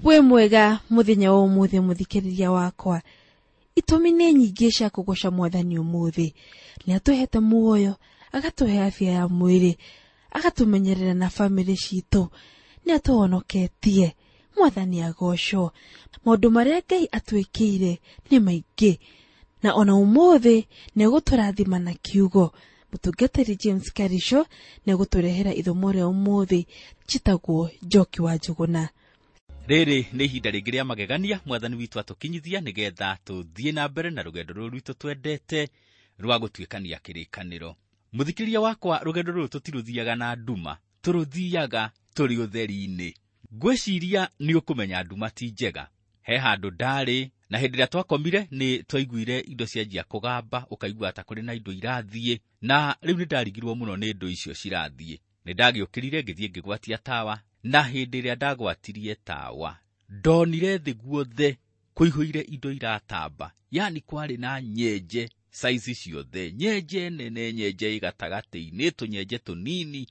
Wĩ mwega mũthenya wa ũmũthĩ mũthikĩrĩria wakwa. Itũmi nĩ nyingĩ cia kũgoca mwathani ũmũthĩ. Nĩ atũhete muoyo, agatũhe afya ya mwĩrĩ, agatũmenyerera na bamĩrĩ citũ, nĩ atũhonoketie. Mwathani agocwo. Maũndũ marĩa Ngai atwĩkĩire nĩ maingĩ, na ona ũmũthĩ nĩ egũtũrathima na kiugo. Mũtungatĩri James Karisho nĩ egũtũrehera ithomo rĩa ũmũthĩ. Njĩtagwo Njoki wa Njũgũna. Rĩrĩ nĩ ihinda rĩngĩ rĩa magegania mwathani witũ atũkinyithia nĩgetha tũthiĩ na mbere na rũgendo rũrũ rwitũ twendete rwa gũtuĩkania kĩrĩkanĩro. Mũthikĩria wakwa, rũgendo rũrũ tũtirũthiaga na nduma, tũrũthiaga tũrĩ ũtheri-inĩ. Ngwĩciria nĩ ũkũmenya nduma ti njega. He handũ ndarĩ, na hĩndĩ ĩrĩa twakomire nĩ twaiguire indo cianjia kũgamba, ũkaigua ta kũrĩ na indo irathiĩ, na rĩu nĩ ndarigirwo mũno nĩ indo icio cirathiĩ. Nĩ ndagĩũkĩrire ngĩthiĩ ngĩgwatia tawa, na hĩndĩ ĩrĩa ndagwatirie tawa ndonire thĩ guothe kũihũire indo iratamba, yani kwarĩ na nyenje saizi ciothe, nyenje nene, nyenje ĩ gatagatĩ-inĩ, tũnyenje tũnini,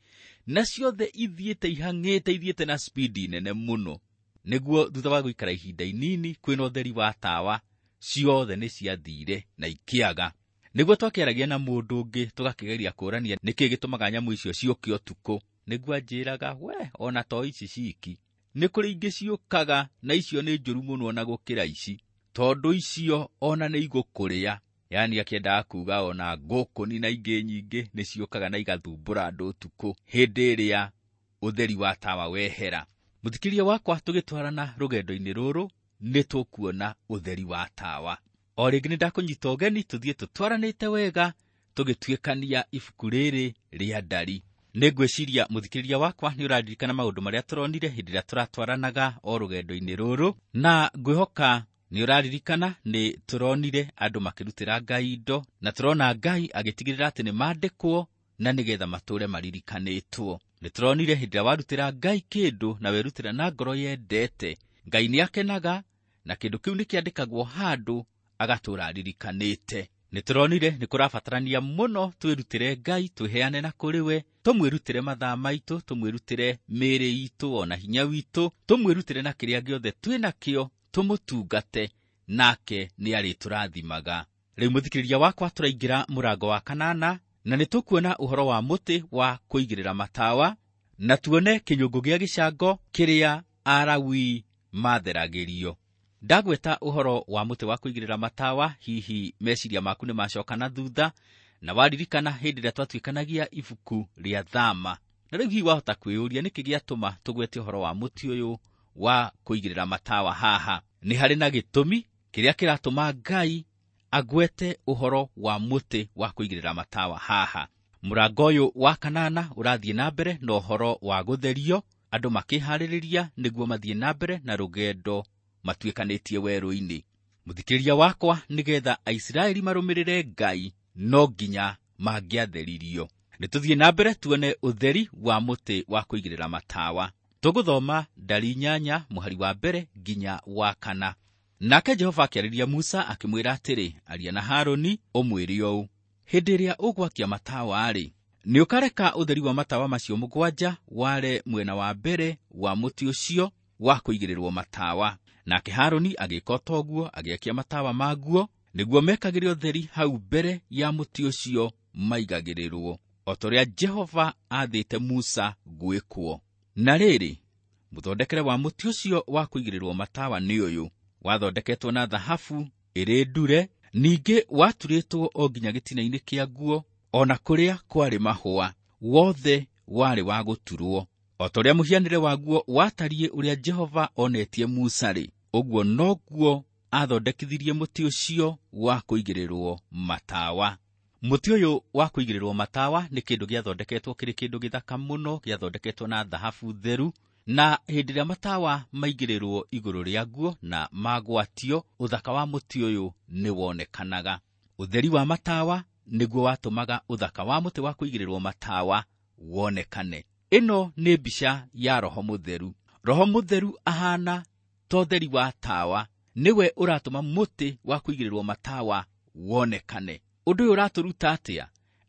na ciothe ithiĩte ihang'ĩte, ithiĩte na spidi nene mũno. Nĩguo thutha wa gũikara ihinda inini kwĩna ũtheri wa tawa, ciothe nĩ ciathire na ikĩaga. Nĩguo twakĩaragia na mũndũ ũngĩ tũgakĩgeria kũrania nĩkĩ gĩtũmaga nyamũ icio ciũke ũtukũ. Nĩguo anjĩraga, we ona to ici ciki, nĩ kũrĩ ingĩ ciũkaga na icio nĩ njũru mũno ona gũkĩra ici, tondũ icio ona nĩ igũkũrĩa. Yani akĩendaga kuga ona ngũkũni na ingĩ nyingĩ nĩ ciũkaga na igathumbũra andũ ũtukũ hĩndĩ ĩrĩa ũtheri wa tawa wehera. Mũthikĩria wakwa, tũgĩtwarana rũgendo-inĩ rũrũ nĩ tũkuona ũtheri wa tawa. O rĩngĩ nĩ ndakũnyita ũgeni tũthiĩ tũtwaranĩte wega tũgĩtuĩkania ibuku rĩrĩ rĩa Ndari. Nĩ ngwĩciria mũthikĩrĩria wakwa nĩ ũraririkana maũndũ marĩa tũronire hĩndĩ ĩrĩa tũratwaranaga o rũgendo-inĩ rũrũ, na ngwĩhoka nĩ ũraririkana nĩ tũronire andũ makĩrutĩra Ngai indo, na tũrona Ngai agĩtigĩrĩra atĩ nĩ mandĩkwo na nĩgetha matũre maririkanĩtwo. Nĩ tũronire hĩndĩ ĩrĩa warutĩra Ngai kĩndũ na werutĩra na ngoro yendete, Ngai nĩ akenaga na kĩndũ kĩu nĩ kĩandĩkagwo handũ agatũra aririkanĩte. Nĩ tũronire nĩ kũrabatarania mũno twĩrutĩre Ngai, twĩheane na kũrĩ we, tũmwĩrutĩre mathaa maitũ, tũmwĩrutĩre mĩĩrĩ itũ ona hinya witũ, tũmwĩrutĩre na kĩrĩa gĩothe twĩnakĩo, tũmũtungate, nake nĩ arĩtũrathimaga. Rĩu mũthikĩrĩria wakwa, tũraingĩra mũrango wa kanana, na nĩ tũkuona ũhoro wa mũtĩ wa kũigĩrĩra matawa, na tuone kĩnyũngũ gĩa gĩcango kĩrĩa Alawii matheragĩrio. Ndagweta ũhoro wa mũtĩ wa kũigĩrĩra matawa, hihi meciria maku nĩ macoka na thutha, na waririkana hĩndĩ ĩrĩa twatuĩkanagia ibuku rĩa Thama. Na rĩu hihi wahota kwĩyũria nĩkĩ gĩatũma tũgwete ũhoro wa mũtĩ ũyũ wa kũigĩrĩra matawa haha. Nĩ harĩ na gĩtũmi kĩrĩa kĩratũma Ngai agwete ũhoro wa mũtĩ wa kũigĩrĩra matawa haha. Mũrango ũyũ wa kanana ũrathiĩ na mbere na ũhoro wa gũtherio, andũ makĩharĩrĩria nĩguo mathiĩ na mbere na rũgendo matuĩkanĩtie werũ-inĩ. Mũthikĩrĩria wakwa, nĩgetha Aisiraeli marũmĩrĩre Ngai no nginya mangĩatheririo. Nĩ tũthiĩ na mbere tuone ũtheri wa mũtĩ wa kũigĩrĩra matawa. Tũgũthoma Ndari 8 mũhari wa mbere nginya wa 4. Nake Jehova akĩarĩria Musa akĩmwĩra atĩrĩ, aria na Harũni ũmwĩre ũũ, hĩndĩ ĩrĩa ũgwakia matawa-rĩ, nĩ ũkareka ũtheri wa matawa macio 7 ware mwena wa mbere wa mũtĩ ũcio wa kũigĩrĩrwo matawa. Nake Harũni agĩka o ta ũguo, agĩakia matawa maguo nĩguo mekagĩre ũtheri hau mbere ya mũtĩ ũcio maigagĩrĩrwo, o ta ũrĩa Jehova aathĩte Musa gwĩkwo. Na rĩrĩ, mũthondekere wa mũtĩ ũcio wa kũigĩrĩrwo matawa nĩ ũyũ: wathondeketwo na thahabu ĩrĩ ndure, ningĩ waturĩtwo o nginya gĩtina-inĩ kĩaguo, o na kũrĩa kwarĩ mahũa, wothe warĩ wa gũturwo. O ta ũrĩa mũhianĩre waguo watariĩ ũrĩa Jehova onetie Musa-rĩ, ũguo noguo athondekithirie mũtĩ ũcio wa kũigĩrĩrwo matawa. Mũtĩ ũyũ wa kũigĩrĩrwo matawa nĩ kĩndũ gĩathondeketwo kĩrĩ kĩndũ gĩthaka mũno, gĩathondeketwo na thahabu theru, na hĩndĩ ĩrĩa matawa maigĩrĩrwo igũrũ rĩaguo na magwatio, ũthaka wa mũtĩ ũyũ nĩ wonekanaga. Ũtheri wa matawa nĩguo watũmaga ũthaka wa mũtĩ wa kũigĩrĩrwo matawa wonekane. Ĩno nĩ mbica ya Roho Mũtheru. Roho Mũtheru ahana ta ũtheri wa tawa, nĩwe ũratũma mũtĩ wa kũigĩrĩrwo matawa wonekane. Ũndũ ũyũ ũratũruta atĩa?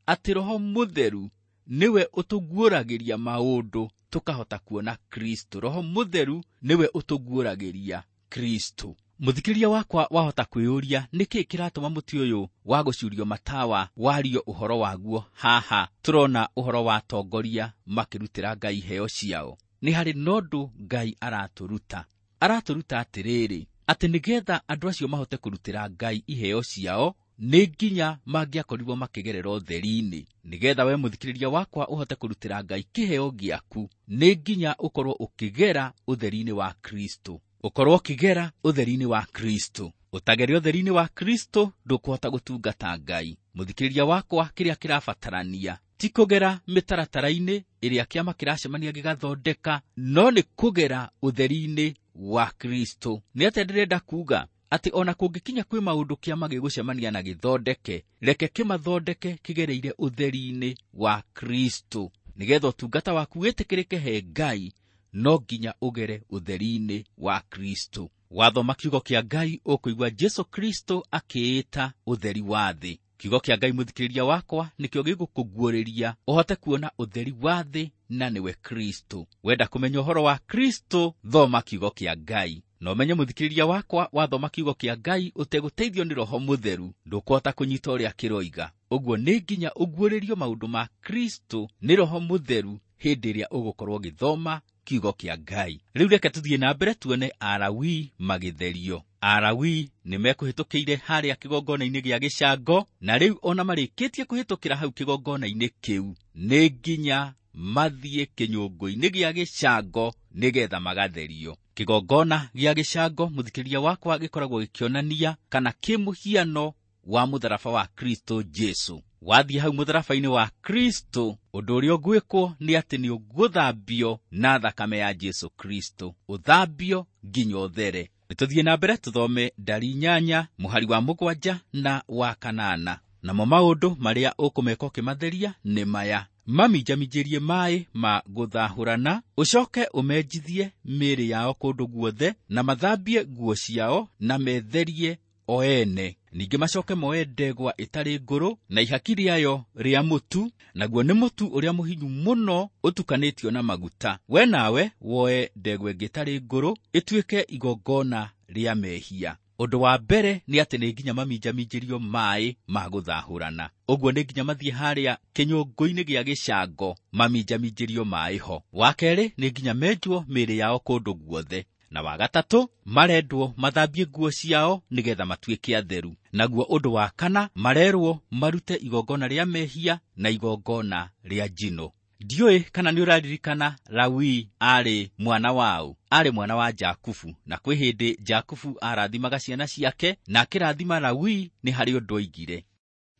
Atĩ Roho Mũtheru nĩwe ũtũguũragĩria maũndũ tũkahota kuona Kristo. Roho Mũtheru nĩwe ũtũguũragĩria Kristo. Mũthikĩrĩria wakwa wahota kwĩyũria nĩkĩ kĩratũma mũtĩ ũyũ wa gũcuurio matawa wario ũhoro waguo haha. Tũrona ũhoro wa atongoria makĩrutĩra Ngai iheo ciao. Nĩ harĩ na ũndũ Ngai aratũruta. Aratũruta atĩrĩrĩ, atĩ nĩgetha andũ acio mahote kũrutĩra Ngai iheo ciao nĩ nginya mangĩakorirwo makĩgerera ũtheri-inĩ. Nĩgetha we mũthikĩrĩria wakwa ũhote kũrutĩra Ngai kĩheo gĩaku, nĩ nginya ũkorwo ũkĩgera ũtheri-inĩ wa Kristo. Ũkorwo ũkĩgera ũtheri-inĩ wa Kristo. Ũtagere ũtheri-inĩ wa Kristo ndũkũhota gũtungata Ngai. Mũthikĩrĩria wakwa, kĩrĩa kĩrabatarania ti kũgera mĩtaratara-inĩ ĩrĩa kĩama kĩracemania gĩgathondeka, no nĩ kũgera ũtheri-inĩ wa Kristo. Nĩ atĩa ndĩrenda kuuga? Atĩ ona kũngĩkinya kwĩ maũndũ kĩama gĩgũcemania na gĩthondeke, reke kĩmathondeke kĩgereire ũtheri-inĩ wa Kristo. Nĩgetha ũtungata waku wĩtĩkĩrĩke he Ngai, no nginya ũgere ũtheri-inĩ wa Kristo. Wathoma kiugo kĩa Ngai ũkũigua Jesu Kristo akĩĩta ũtheri wa thĩ. Kiugo kĩa Ngai mũthikĩrĩria wakwa nĩkĩo gĩgũkũguũrĩria ũhote kuona ũtheri wa thĩ, na nĩwe Kristo. Wenda kũmenya ũhoro wa Kristo, thoma kiugo kĩa Ngai. Na ũmenye mũthikĩrĩria wakwa, wathoma kiugo kĩa Ngai ũtegũteithio nĩ Roho Mũtheru, ndũkũhota kũnyita ũrĩa kĩroiga. Ũguo nĩ nginya ũguũrĩrio maũndũ ma Kristo nĩ Roho Mũtheru hĩndĩ ĩrĩa ũgũkorwo ũgĩthoma kiugo kĩa Ngai. Rĩu reke tũthiĩ na mbere tuone Alawii magĩtherio. Alawii nĩ mekũhĩtũkĩire harĩa kĩgongona-inĩ gĩa gĩcango, na rĩu ona marĩkĩtie kũhĩtũkĩra hau kĩgongona-inĩ kĩu, nĩ nginya mathiĩ kĩnyũngũ-inĩ gĩa gĩcango nĩgetha magatherio. Kĩgongona gĩa gĩcango mũthikĩrĩria wakwa gĩkoragwo gĩkĩonania kana kĩmũhiano wa mũtharaba wa Kristo Jesu. Wathiĩ hau mũtharaba-inĩ wa Kristo, ũndũ ũrĩa ũgwĩkwo nĩ atĩ nĩ ũgũthambio na thakame ya Jesu Kristo, ũthambio nginya ũthere. Nĩtũthiĩ na mbere tũthome ndari 8 mũhari wa 7 na wa 8. Namo maũndũ marĩa ũkũmeka ũkĩmatheria nĩ maya: maminjaminjĩrie maĩ ma gũthahũrana, ũcoke ũmenjithie mĩĩrĩ yao kũndũ guothe, na mathambie nguo ciao, na metherie o ene. Ningĩ macoke moe ndegwa ĩtarĩ ngũrũ na ihaki rĩayo rĩa mũtu, naguo nĩ mũtu ũrĩa mũhinyu mũno ũtukanĩtio na maguta. We nawe woe ndegwa ĩngĩ ĩtarĩ ngũrũ ĩtuĩke igongona rĩa mehia. Ũndũ wa mbere nĩ atĩ nĩ nginya maminjaminjĩrio maĩ ma gũthahũrana. Ũguo nĩ nginya mathiĩ harĩa kĩnyũngũ-inĩ gĩa gĩcango maminjaminjĩrio maĩ ho. Wa kerĩ nĩ nginya menjwo mĩĩrĩ yao kũndũ guothe. Na wa gatatũ marendwo mathambie nguo ciao nĩgetha matuĩke atheru. Naguo ũndũ wa kana marerwo marute igongona rĩa mehia na igongona rĩa njino. Ndiũĩ kana nĩ ũraririkana Lawi arĩ mwana waũ? Arĩ mwana wa Jakubu, na kwĩ hĩndĩ Jakubu arathimaga ciana ciake, na akĩrathima Lawi nĩ harĩ ũndũ oigire.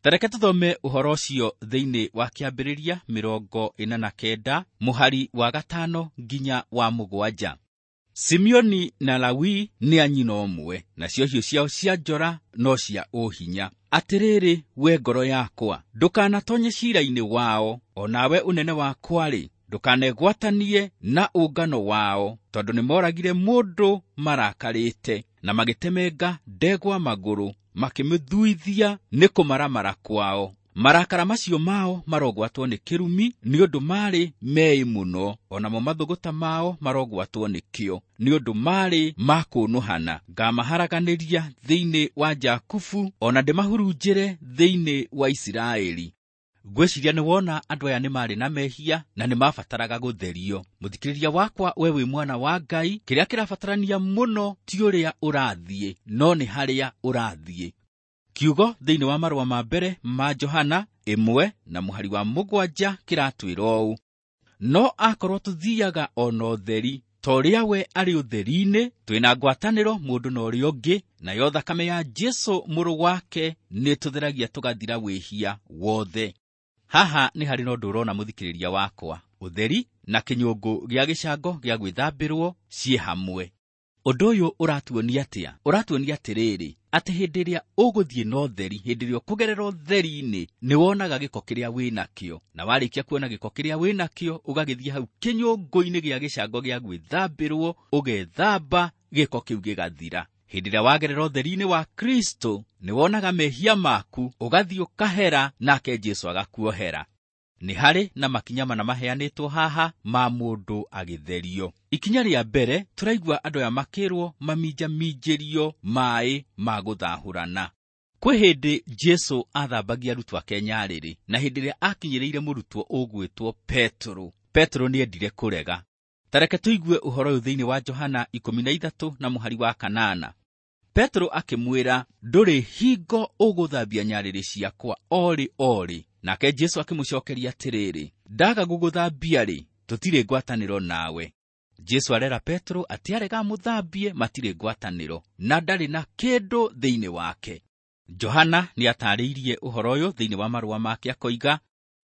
Tareke tũthome ũhoro ũcio thĩinĩ wa Kĩambĩrĩria 49 mũhari wa 5 nginya wa 7. Simeoni na Lawi nĩ a nyina ũmwe, nacio hiũ ciao cia njora no cia ũhinya. Atĩrĩrĩ, we ngoro yakwa, ndũkanatonye ciira-inĩ wao, o nawe ũnene wakwa-rĩ, ndũkanegwatanie na ũngano wao, tondũ nĩmoragire mũndũ marakarĩte, na magĩtemenga ndegwa magũrũ, makĩmĩthuithia nĩ kũmaramara kwao. Marakara macio mao marogwatwo nĩ kĩrumi, nĩ ũndũ marĩ meĩ mũno, onamo mathũgũta mao marogwatwo nĩkĩo, nĩ ũndũ marĩ ma kũnũhana. Ngamaharaganĩria thĩinĩ wa Jakubu, ona ndĩmahurunjĩre thĩinĩ wa Isiraeli. Ngwĩciria nĩ wona andũ aya nĩ marĩ na mehia na nĩ mabataraga gũtherio. Mũthikĩrĩria wakwa, we wĩ mwana wa Ngai, kĩrĩa kĩrabatarania mũno ti ũrĩa ũrathiĩ, no nĩ harĩa ũrathiĩ. Kiugo thĩinĩ wa marũa ma mbere ma Johana 1 na mũhari wa 7 kĩratwĩra ũũ: no akorwo tũthiaga ona ũtheri, ta ũrĩa we arĩ ũtheri-inĩ, twĩna ngwatanĩro mũndũ na ũrĩa ũngĩ, nayo thakame ya Jesu mũrũ wake nĩtũtheragia tũgathira wĩhia wothe. Haha nĩ harĩ na ũndũ ũrona mũthikĩrĩria wakwa, ũtheri na kĩnyũngũ gĩa gĩcango gĩa gwĩthambĩrwo ciĩ hamwe. Ũndũ ũyũ ũratuonia atĩa? Ũratuonia atĩrĩrĩ, atĩ hĩndĩ ĩrĩa ũgũthiĩ na ũtheri, hĩndĩ ĩrĩa ũkũgerera ũtheri-inĩ, nĩ wonaga gĩko kĩrĩa wĩnakĩo, na warĩkia kuona gĩko kĩrĩa wĩnakĩo, ũgagĩthiĩ hau kĩnyũngũ-inĩ gĩa gĩcango gĩa gwĩthambĩrwo, ũgethamba, gĩko kĩu gĩgathira. Hĩndĩ ĩrĩa wagerera ũtheri-inĩ wa Kristo, nĩ wonaga mehia maku, ũgathiĩ ũkahera, nake Jesu agakuohera. Nĩ harĩ na makinya mana maheanĩtwo haha ma mũndũ agĩtherio. Ikinya rĩa mbere, tũraigua andũ aya makĩrwo maminjaminjĩrio maĩ ma gũthahũrana. Kwĩ hĩndĩ Jesũ athambagia arutwo ake nyarĩrĩ, na hĩndĩ ĩrĩa akinyĩrĩire mũrutwo ũgwĩtwo Petero, Petero nĩendire kũrega. Ta reke tũigue ũhoro ũyũ thĩinĩ wa Johana 13 na mũhari wa 8. Petero akĩmwĩra, ndũrĩ hingo ũgũthambia nyarĩrĩ ciakwa orĩ orĩ. Nake Jesũ akĩmũcokeria atĩrĩrĩ, ndaga gũgũthambia-rĩ, tũtirĩ ngwatanĩro nawe. Jesũ arera Petero atĩ arega amũthambie matirĩ ngwatanĩro na ndarĩ na kĩndũ thĩinĩ wake. Johana nĩatarĩirie ũhoro ũyũ thĩinĩ wa marũa make akoiga,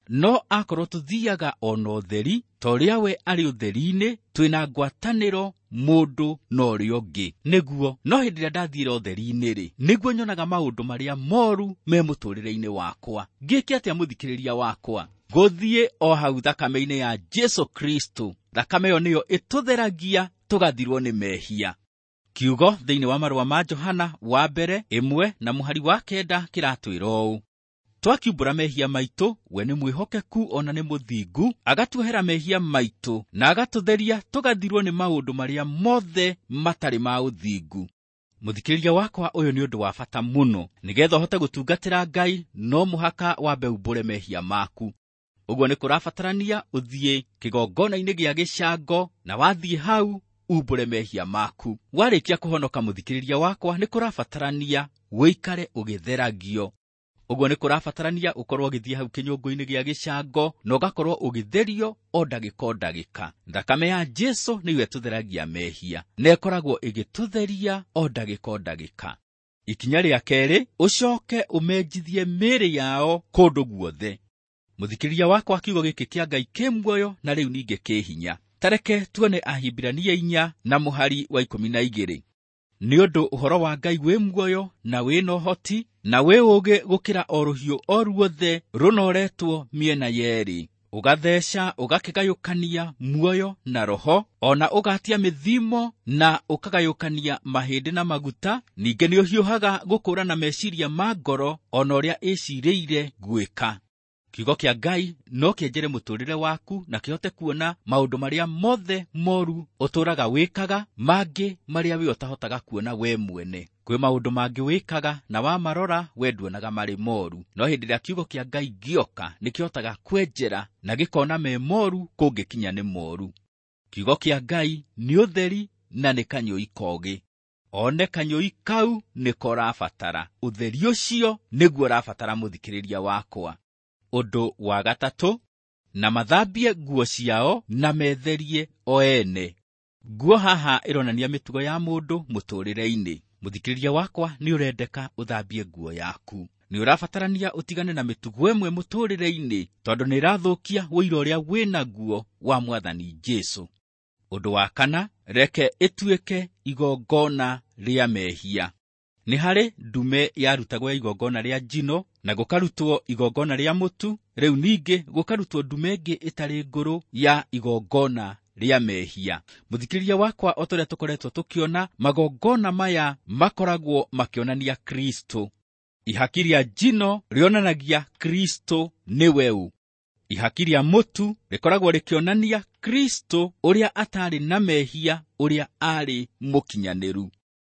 no akorwo tũthiaga ona ũtheri ta ũrĩa we arĩ ũtheri-inĩ, twĩna ngwatanĩro mũndũ na ũrĩa ũngĩ. Nĩguo, no hĩndĩ ĩrĩa ndathiĩra ũtheri-inĩ-rĩ, nĩguo nyonaga maũndũ marĩa moru me mũtũrĩre-inĩ wakwa. Ngĩke atĩa mũthikĩrĩria wakwa? Gũthiĩ o hau thakame-inĩ ya Jesũ Kristo. Thakame ĩyo nĩyo ĩtũtheragia tũgathirwo nĩ mehia. Kiugo thĩinĩ wa marũa ma Johana wa mbere 1 na mũhari wa 9 kĩratwĩra ũũ: twakiumbũra mehia maitũ, we nĩ mwĩhokeku ona nĩ mũthingu, agatuohera mehia maitũ na agatũtheria tũgathirwo nĩ maũndũ marĩa mothe matarĩ ma ũthingu. Mũthikĩrĩria wakwa, ũyũ nĩ ũndũ wa bata mũno. Nĩgetha ũhote gũtungatĩra Ngai, no mũhaka wambe umbũre mehia maku. Ũguo nĩ kũrabatarania ũthiĩ kĩgongona-inĩ gĩa gĩcango, na wathiĩ hau umbũre mehia maku. Warĩkia kũhonoka mũthikĩrĩria wakwa, nĩ kũrabatarania ũikare ũgĩtheragio. Ũguo nĩ kũrabatarania ũkorwo ũgĩthiĩ hau kĩnyũngũ-inĩ gĩa gĩcango na ũgakorwo ũgĩtherio o ndagĩka o ndagĩka. Thakame ya Jesũ nĩyo ĩtũtheragia mehia na ĩkoragwo ĩgĩtũtheria o ndagĩka o ndagĩka. Ikinya rĩa kerĩ, ũcoke ũmenjithie mĩĩrĩ yao kũndũ guothe. Mũthikĩrĩria wakwa, kiugo gĩkĩ kĩa Ngai kĩ muoyo na rĩu ningĩ kĩ hinya. Ta reke tuone Ahibirania 4 na mũhari wa 12. Nĩ ũndũ ũhoro wa Ngai wĩ muoyo na wĩ na ũhoti na wĩ ũũgĩ gũkĩra o rũhiũ o ruothe rũnoretwo mĩena yerĩ, ũgatheca ũgakĩgayũkania muoyo na roho, ona ũgatia mĩthimo na ũkagayũkania mahĩndĩ na maguta. Ningĩ nĩũhiũhaga gũkũũrana meciria ma ngoro ona ũrĩa ĩcirĩire gwĩka. Kiugo kĩa Ngai no kĩenjere mũtũrĩre waku na kĩhote kuona maũndũ marĩa mothe moru ũtũũraga wĩkaga, mangĩ marĩa we ũtahotaga kuona we mwene. Kwĩ maũndũ mangĩ wĩkaga na wamarora we nduonaga marĩ moru, no hĩndĩ ĩrĩa kiugo kĩa Ngai gĩoka nĩkĩhotaga kwenjera na gĩkona me moru kũngĩkinya nĩ moru. Kiugo kĩa Ngai nĩ ũtheri na nĩ kanyũi kogĩ. One kanyũi kau nĩko ũrabatara. Ũtheri ũcio nĩguo ũrabatara mũthikĩrĩria wakwa. Ũndũ wa gatatũ, na mathambie nguo ciao na metherie o ene. Nguo haha ĩronania mĩtugo ya mũndũ mũtũrĩre-inĩ. Mũthikĩrĩria wakwa, nĩ ũrendeka ũthambie nguo yaku. Nĩ ũrabatarania ũtigane na mĩtugo ĩmwe mũtũrĩre-inĩ, tondũ nĩ ĩrathũkia ũira ũrĩa wĩnaguo wa Mwathani Jesũ. Ũndũ wa kana, reke ĩtuĩke igongona rĩa mehia. Nĩ harĩ ndume yarutagwo ya igongona rĩa njino na gũkarutwo igongona rĩa mũtu, rĩu ningĩ gũkarutwo ndume ĩngĩ ĩtarĩ ngũrũ ya igongona rĩa mehia. Mũthikĩrĩria wakwa, o ta ũrĩa tũkoretwo tũkĩona, magongona maya makoragwo makĩonania Kristo. Ihaki rĩa njino rĩonanagia Kristo nĩwe ũ. Ihaki rĩa mũtu rĩkoragwo rĩkĩonania Kristo ũrĩa atarĩ na mehia, ũrĩa arĩ mũkinyanĩru.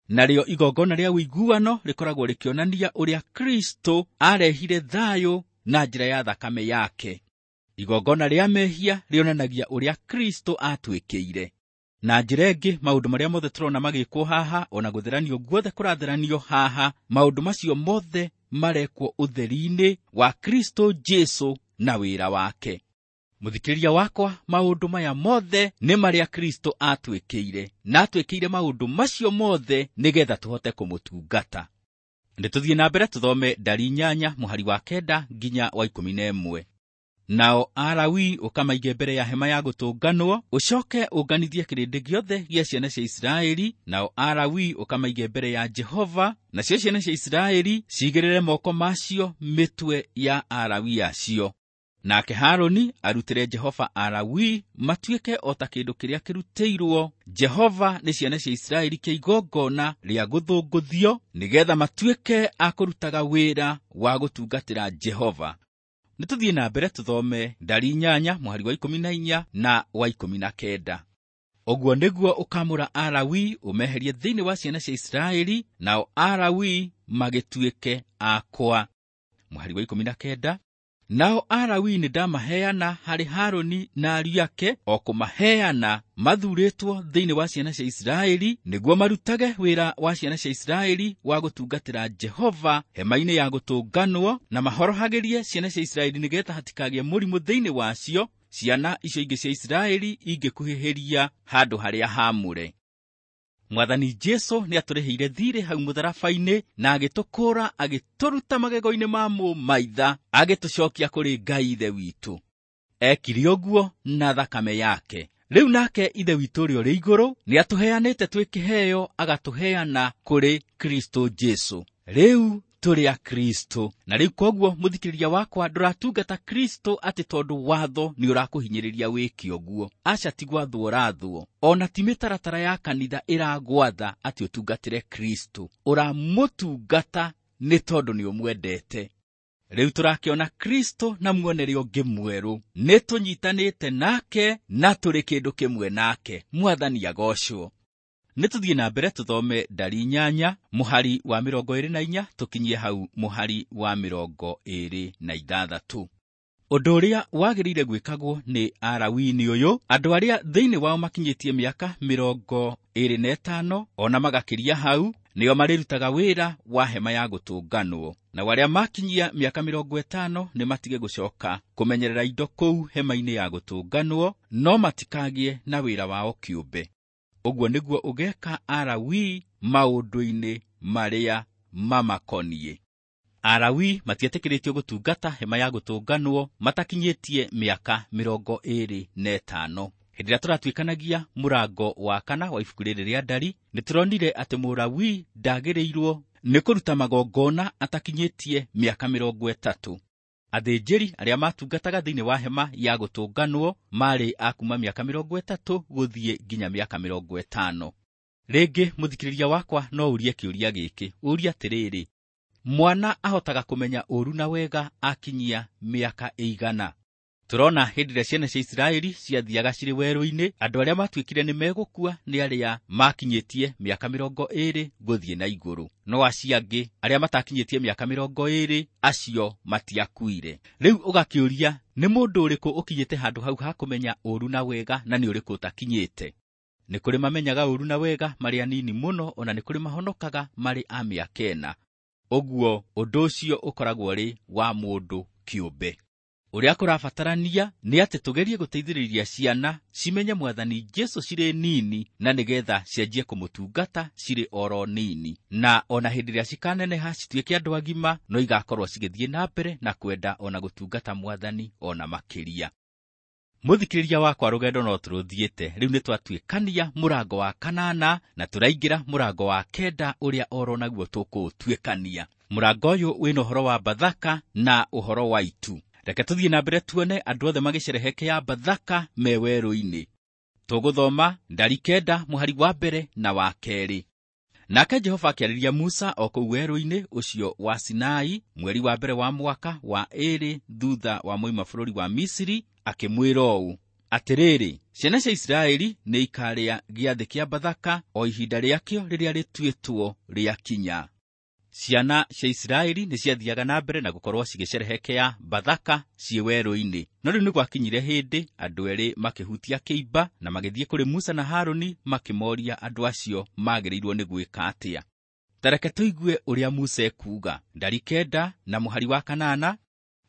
Narĩo igongona rĩa ũiguano rĩkoragwo rĩkĩonania ũrĩa Kristo arehire thayũ na njĩra ya thakame yake. Igongona rĩa mehia rĩonanagia ũrĩa Kristo atuĩkĩire. Na njĩra ĩngĩ, maũndũ marĩa mothe tũrona magĩkwo haha, ona gũtheranio guothe kũratheranio haha, maũndũ macio mothe marekwo ũtheri-inĩ wa Kristo Jesũ na wĩra wake. Mũthikĩrĩria wakwa, maũndũ maya mothe nĩ marĩa Kristo atuĩkĩire, na atuĩkĩire maũndũ macio mothe nĩgetha tũhote kũmũtungata. Nĩ tũthiĩ na mbere tũthome ndari 8 mũhari wa 9 nginya wa 11. Nao Alawii ũkamaige mbere ya hema ya gũtũnganwo, ũcoke ũnganithie kĩrĩndĩ gĩothe gĩa ciana cia Isiraeli. Nao Alawii ũkamaige mbere ya Jehova, nacio ciana cia Isiraeli cigĩrĩre moko macio mĩtwe ya Alawii acio. Nake Harũni arutĩre Jehova Alawii matuĩke o ta kĩndũ kĩrĩa kĩrutĩirwo Jehova nĩ ciana cia Isiraeli kĩa igongona rĩa gũthũngũthio, nĩgetha matuĩke a kũrutaga wĩra wa gũtungatĩra Jehova. Nĩ tũthiĩ na mbere tũthome Ndari 8 mũhari wa 14 na wa 19. Ũguo nĩguo ũkamũra Alawi ũmeherie thĩinĩ wa ciana cia Isiraeli, nao Alawi magĩtuĩke akwa. Mũhari wa 19. Nao Alawi nĩndamaheana harĩ Harũni na ariũ ake, o kũmaheana mathuurĩtwo thĩinĩ wa ciana cia Isiraeli, nĩguo marutage wĩra wa ciana cia Isiraeli wa gũtungatĩra Jehova hema-inĩ ya gũtũnganwo, na mahorohagĩrie ciana cia Isiraeli nĩgeetha hatikagĩe mũrimũ thĩinĩ wacio, ciana icio ingĩ cia Isiraeli ingĩkuhĩhĩria handũ harĩa haamũre. Mwathani Jesũ nĩatũrĩhĩire thiirĩ hau mũtharaba-inĩ na agĩtũkũũra agĩtũruta magego-inĩ ma mũmaitha, agĩtũcokia kũrĩ Ngai Ithe witũ. Ekire ũguo na thakame yake. Rĩu nake Ithe witũ ũrĩa ũrĩ igũrũ nĩatũheanĩte twĩ kĩheo, agatũheana kũrĩ Kristũ Jesũ. Rĩu tũrĩ a Kristũ. Na rĩu koguo mũthikĩrĩria wakwa, ndũratungata Kristũ atĩ tondũ watho nĩ ũrakũhinyĩrĩria wĩke ũguo. Aca, ti gwathwo ũrathwo. Ona ti mĩtaratara ya kanitha ĩragwatha atĩ ũtungatĩre Kristũ. Ũramũtungata nĩ tondũ nĩ ũmwendete. Rĩu tũrakĩona Kristũ na muonere ũngĩ mwerũ. Nĩ tũnyitanĩte nake na tũrĩ kĩndũ kĩmwe nake. Mwathani agocwo. Nĩ tũthiĩ na mbere tũthome Ndari 8 mũhari wa 24 tũkinyie hau mũhari wa 26. Ũndũ ũrĩa wagĩrĩire gwĩkagwo nĩ Alawii nĩ ũyũ: andũ arĩa thĩinĩ wao makinyĩtie mĩaka 25 ona magakĩria hau, nĩo marĩrutaga wĩra wa hema ya gũtũnganwo. Nao arĩa makinyia mĩaka 50 nĩ matige gũcoka kũmenyerera indo kũu hema-inĩ ya gũtũnganwo, no matikagĩe na wĩra wao kĩũmbe. Ũguo nĩguo ũgeka Alawii maũndũ-inĩ marĩa mamakoniĩ. Alawii matietĩkĩrĩtio gũtungata hema ya gũtũnganwo matakinyĩtie mĩaka 25. Hĩndĩ ĩrĩa tũratuĩkanagia mũrango wa 4 wa ibuku rĩrĩ rĩa Ndari, nĩtũronire atĩ Mũlawii ndagĩrĩirwo nĩ kũruta magongona atakinyĩtie mĩaka 30. Athĩnjĩri arĩa matungataga thĩinĩ wa hema ya gũtũnganwo marĩ a kuma mĩaka 30 gũthiĩ nginya mĩaka 50. Rĩngĩ mũthikĩrĩria wakwa no ũrie kĩũria gĩkĩ, ũrie atĩrĩrĩ, mwana ahotaga kũmenya ũũru na wega akinyia mĩaka ĩigana? Tũrona hĩndĩ ĩrĩa ciana cia Isiraeli ciathiaga cirĩ werũ-inĩ, andũ arĩa matuĩkire nĩ megũkua nĩ arĩa makinyĩtie mĩaka 20 gũthiĩ na igũrũ, no acio angĩ arĩa matakinyĩtie mĩaka 20 acio matiakuire. Rĩu ũgakĩũria, nĩ mũndũ ũrĩkũ ũkinyĩte handũ hau ha kũmenya ũũru na wega na nĩ ũrĩkũ ũtakinyĩte? Nĩ kũrĩ mamenyaga ũũru na wega marĩ anini mũno, ona nĩ kũrĩ mahonokaga marĩ a mĩaka 4. Ũguo ũndũ ũcio ũkoragwo ũrĩ wa mũndũ kĩũmbe. Ũrĩa kũrabatarania nĩ atĩ tũgerie gũteithĩrĩria ciana cimenye Mwathani Jesũ cirĩ nini, na nĩgetha cianjie kũmũtungata cirĩ oro nini, na ona hĩndĩ ĩrĩa cikaneneha cituĩke andũ agima, no igakorwo cigĩthiĩ na mbere na kwenda ona gũtungata Mwathani ona makĩria. Mũthikĩrĩria wakwa, rũgendo no tũrũthiĩte. Rĩu nĩtwatuĩkania mũrango wa 8 na tũraingĩra mũrango wa 9 ũrĩa oro naguo tũkũũtuĩkania. Mũrango ũyũ wĩna ũhoro wa Bathaka na ũhoro wa itu. Reke tũthiĩ na mbere tuone andũ othe magĩcerehekea Bathaka me werũ-inĩ. Tũgũthoma Ndari 9 mũhari wa 1 na wa 2. Nake Jehova akĩarĩria Musa o kũu werũ-inĩ ũcio wa Sinai mweri wa 1 wa mwaka wa 2 thutha wa moima bũrũri wa Misiri, akĩmwĩra ũũ: Atĩrĩrĩ, ciana cia Isiraeli nĩ ikarĩa gĩathĩ kĩa Bathaka o ihinda rĩakĩo rĩrĩa rĩtuĩtwo rĩakinya. Ciana cia Isiraeli nĩ ciathiaga na mbere na gũkorwo cigĩcerehekea Bathaka ciĩ werũ-inĩ. No rĩu nĩ gwakinyire hĩndĩ andũ erĩ makĩhutia kĩimba na magĩthiĩ kũrĩ Musa na Harũni makĩmoria andũ acio magĩrĩirwo nĩ gwĩka atĩa. Ta reke tũigue ũrĩa Musa ekuuga. Ndari 9 na mũhari wa 8.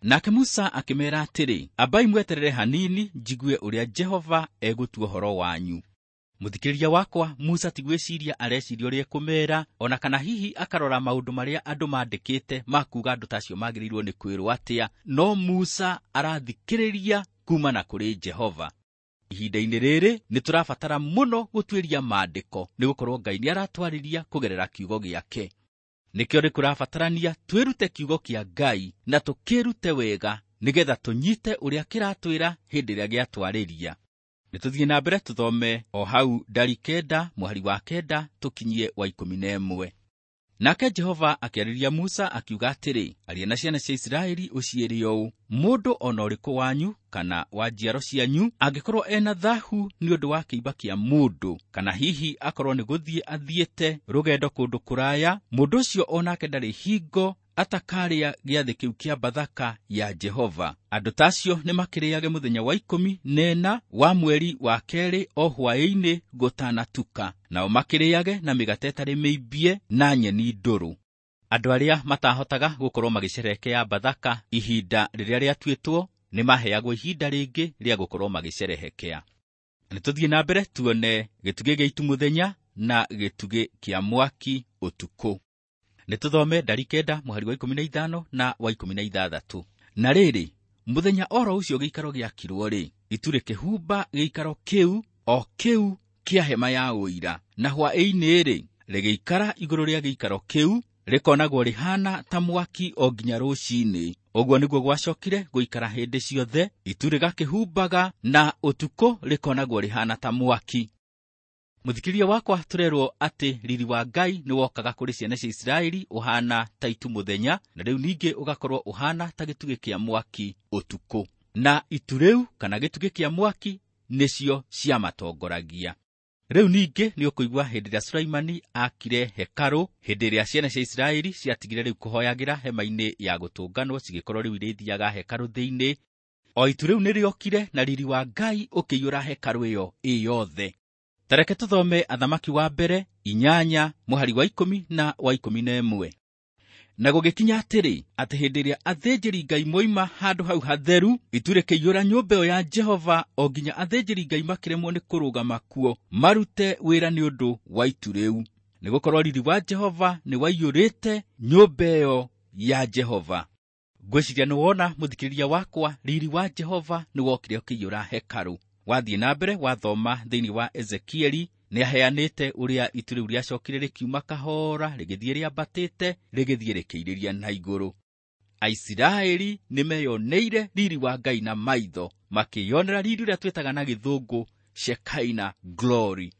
Nake Musa akĩmeera atĩrĩ, ambai mweterere hanini njigue ũrĩa Jehova egũtua ũhoro wanyu. Mũthikĩrĩria wakwa, Musa ti gwĩciria areciria ũrĩa ekũmeera, ona kana hihi akarora maũndũ marĩa andũ mandĩkĩte ma kuuga andũ ta acio magĩrĩirwo nĩ kwĩrwo atĩa, no Musa arathikĩrĩria kumana kũrĩ Jehova. Ihinda-inĩ rĩrĩ nĩ tũrabatara mũno gũtuĩria maandĩko, nĩ gũkorwo Ngai nĩ aratwarĩria kũgerera kiugo gĩake. Nĩkĩo nĩ kũrabatarania twĩrute kiugo kĩa Ngai na tũkĩrute wega nĩgetha tũnyite ũrĩa kĩratwĩra hĩndĩ ĩrĩa gĩatwarĩria. Nĩ tũthiĩ na mbere tũthome o hau Ndari 9 mũhari wa 9 tũkinyie wa 11. Nake Jehova akĩarĩria Musa akiuga atĩrĩ, aria na ciana cia Isiraeli ũciĩre ũũ, mũndũ o na ũrĩkũ wanyu kana wa njiaro cianyu angĩkorwo ena thahu nĩ ũndũ wa kĩimba kĩa mũndũ, kana hihi akorwo nĩ gũthiĩ athiĩte rũgendo kũndũ kũraya, mũndũ ũcio o nake ndarĩ hingo atakarĩa gĩathĩ kĩu kĩa Bathaka ya Jehova. Andũ ta acio nĩmakĩrĩage mũthenya wa 14 wa mweri wa 2 o hwaĩ-inĩ gũtanatuka, nao makĩrĩage na mĩgate ĩtarĩ mĩimbie na nyeni ndũrũ. Andũ arĩa matahotaga gũkorwo magĩcerehekea Bathaka ihinda rĩrĩa rĩatuĩtwo nĩmaheagwo ihinda rĩngĩ rĩa gũkorwo magĩcerehekea. Nĩtũthiĩ na mbere tuone gĩtugĩ gĩa itu mũthenya na gĩtugĩ kĩa mwaki ũtukũ. Nĩtũthome ndari 9 mũhari wa 15 na wa 16. Na rĩrĩ, mũthenya oro ũcio gĩikaro gĩakirwo rĩ, itu rĩkĩhumba gĩikaro kĩu o kĩu kĩa hema ya ũira, na hwaĩ-inĩ rĩ, rĩgĩikara igũrũ rĩa gĩikaro kĩu, rĩkonagwo rĩhana ta mwaki o nginya rũcinĩ. Ũguo nĩguo gwacokire gũikara hĩndĩ ciothe, itu rĩgakĩhumbaga na ũtukũ rĩkonagwo rĩhana ta mwaki. Mũthikĩrĩria wakwa, tũrerwo atĩ riri wa Ngai nĩwokaga kũrĩ ciana cia Isiraeli ũhana ta itu mũthenya, na rĩu ningĩ ũgakorwo ũhana ta gĩtugĩ kĩa mwaki ũtukũ. Na itu rĩu kana gĩtugĩ kĩa mwaki nĩcio ciamatongoragia. Rĩu ningĩ nĩũkũigua hĩndĩ ĩrĩa Sulaimani aakire hekarũ, hĩndĩ ĩrĩa ciana cia Isiraeli ciatigire rĩu kũhoyagĩra hema-inĩ ya gũtũnganwo, cigĩkorwo rĩu irĩthiaga hekarũ thĩinĩ. O itu rĩu nĩrĩokire na riri wa Ngai ũkĩiyũra hekarũ ĩyo ĩ yothe. Tareke tũthome Athamaki wa mbere 8 mũhari wa 10 na wa 11. Na gũgĩkinya atĩrĩ, atĩ hĩndĩ ĩrĩa athĩnjĩri-Ngai moima handũ hau hatheru, itu rĩkĩiyũra nyũmba ĩyo ya Jehova o nginya athĩnjĩri-Ngai makĩremwo nĩ kũrũgama kuo marute wĩra nĩ ũndũ wa itu rĩu, nĩgũkorwo riri wa Jehova nĩwaiyũrĩte nyũmba ĩyo ya Jehova. Ngwĩciria nĩwona, mũthikĩrĩria wakwa, riri wa Jehova nĩwokire ũkĩiyũra hekarũ. Wathiĩ na mbere wathoma thĩinĩ wa Ezekieli, nĩaheanĩte ũrĩa itu rĩu rĩacokire rĩkiuma kahora, rĩgĩthiĩ rĩambatĩte, rĩgĩthiĩ rĩkĩirĩria na igũrũ. Aisiraeli nĩmeyoneire riri wa Ngai na maitho, makĩyonera riri ũrĩa twĩtaga na gĩthũngũ Shekinah glory.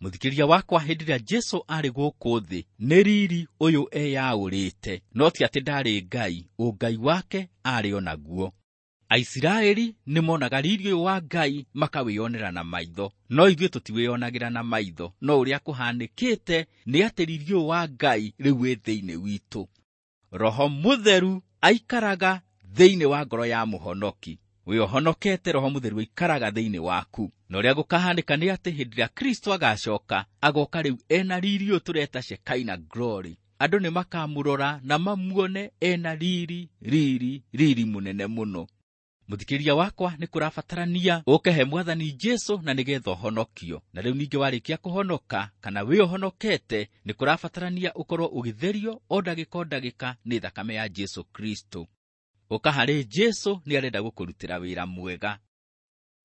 Mũthikĩrĩria wakwa, hĩndĩ ĩrĩa Jesũ arĩ gũkũ thĩ, nĩ riri ũyũ eyaũrĩte, no ti atĩ ndarĩ Ngai, ũngai wake arĩ o naguo. Aisiraeli nĩmonaga riri ũyũ wa Ngai makawĩyonera na maitho, no ithuĩ tũtiwĩyonagĩra na maitho. No ũrĩa kũhanĩkĩte nĩ atĩ riri ũyũ wa Ngai rĩu wĩ thĩinĩ witũ. Roho Mũtheru aikaraga thĩinĩ wa ngoro ya mũhonoki. Wĩ ũhonokete, Roho Mũtheru aikaraga thĩinĩ waku. Na ũrĩa gũkahanĩka nĩ atĩ hĩndĩ ĩrĩa Kristo agacoka, agoka rĩu ena riri ũyũ tũreta Shekinah glory. Andũ nĩmakamũrora na mamuone ena riri, riri, riri mũnene mũno. Mũthikĩrĩria wakwa, nĩ kũrabatarania ũke he Mwathani Jesũ na nĩgetha ũhonokio. Na rĩu ningĩ warĩkia kũhonoka kana wĩ ũhonokete, nĩ kũrabatarania ũkorwo ũgĩtherio o ndagĩka o ndagĩka nĩ thakame ya Jesũ Kristo. Ũka harĩ Jesũ, nĩarenda gũkũrutĩra wĩra mwega.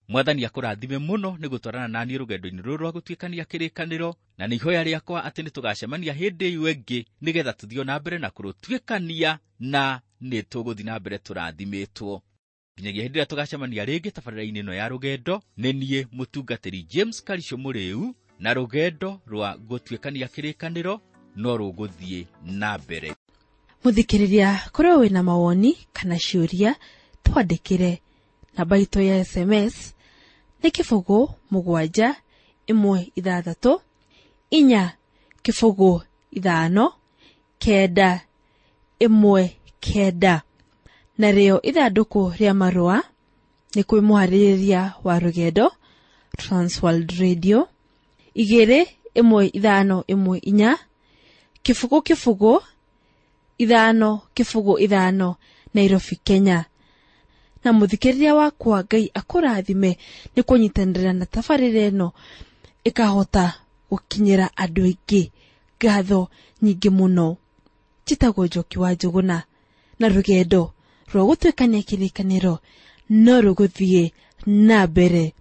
Mwathani akũrathime mũno nĩ gũtwarana na niĩ rũgendo-inĩ rũrũ rwa gũtuĩkania kĩrĩkanĩro, na nĩ ihoya rĩakwa atĩ nĩtũgacemania hĩndĩ ĩyo ĩngĩ nĩgetha tũthiĩ na mbere na kũrũtuĩkania, na nĩtũgũthiĩ na mbere tũrathimĩtwo. Nginyagia hĩndĩ ĩrĩa tũgacemania rĩngĩ tabarĩra-inĩ ĩno ya rũgendo, nĩ niĩ mũtungatĩri James Karisho Mũrĩu, na rũgendo rwa gũtuĩkania kĩrĩkanĩro no rũgũthiĩ na mbere. Mũthikĩrĩria, korwo wĩna mawoni kana ciũria, twandĩkĩre. Namba itũ ya SMS nĩ 0 7 1 6 4 0 5 9 1 9. Narĩo ithandũkũ rĩa marũa nĩ kwĩ mũharĩrĩria wa rũgendo Transworld Radio 2 1 5 1 4 0 0 5 0 5 Nairobi, Kenya. Na mũthikĩrĩria wakwa, Ngai akũrathime nĩ kũnyitanĩra na tabarĩra ĩno ĩkahota gũkinyĩra andũ aingĩ. Ngatho nyingĩ mũno. Njĩtagwo Njoki wa Njũgũna, na rũgendo rwa gũtuĩkania kĩrĩkanĩro no rũgũthiĩ na mbere.